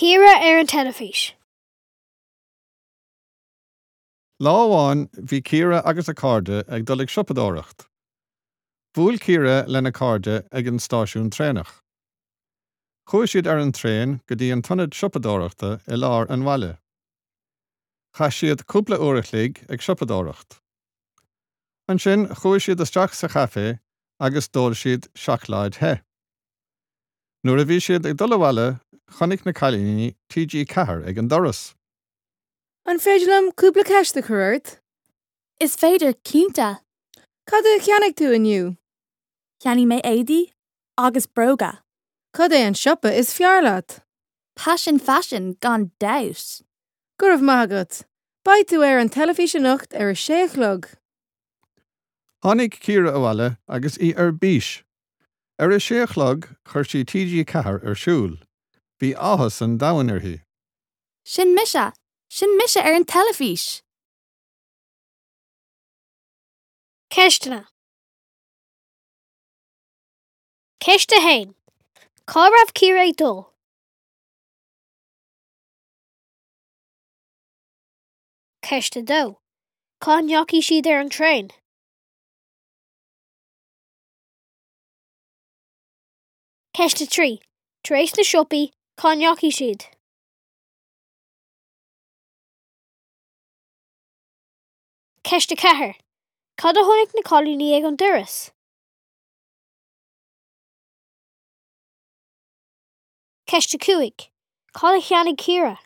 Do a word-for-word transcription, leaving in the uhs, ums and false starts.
Ciara ar an teilifís. Lá amháin bhí Ciara agus a cairde ag dul ag siopadóireacht. Bhuail Ciara lena cairde ag an stáisiún traenach. Chuaigh siad ar an traein go dtí an t-ionad siopadóireachta i lár an bhaile. Chaith siad cúpla uair a chloig ag siopadóireacht. Ansin chuaigh siad isteach sa chaife agus d'ól siad seacláid the. Nuair a bhí siad ag dul abhaile chonaic na cailíní TG Ceathair ag an doras. An féidir liom cúpla ceist a chur ort? Is féidir cinnte. Cad a cheannaigh tú inniu? Cheannaigh mé éadaí agus bróga. Cad é an siopa is fearr leat? Passion fashion gan dabht. Go raibh maith agat. Beidh tú ar an teilifís anocht ar a sé a chlog. Tháinig Ciara abhaile agus í ar bís. Ar a sé a chlog chuir sí TG Ceathair ar siúl. Bhí áthas an domhain uirthi. Sin mise, sin mise ar an teilifís. Ceisteanna. Ceist a haon. Cá raibh Ciara ag dul? Ceist a dó. Cá ndeachaigh siad ar an traein? Ceist a trí. Tar éis na siopaí, cá ndeachaigh siad? Ceist a ceathair. Cad a chonaic na cailíní ag an doras? Ceist a cúig. Cad a cheannaigh Ciara?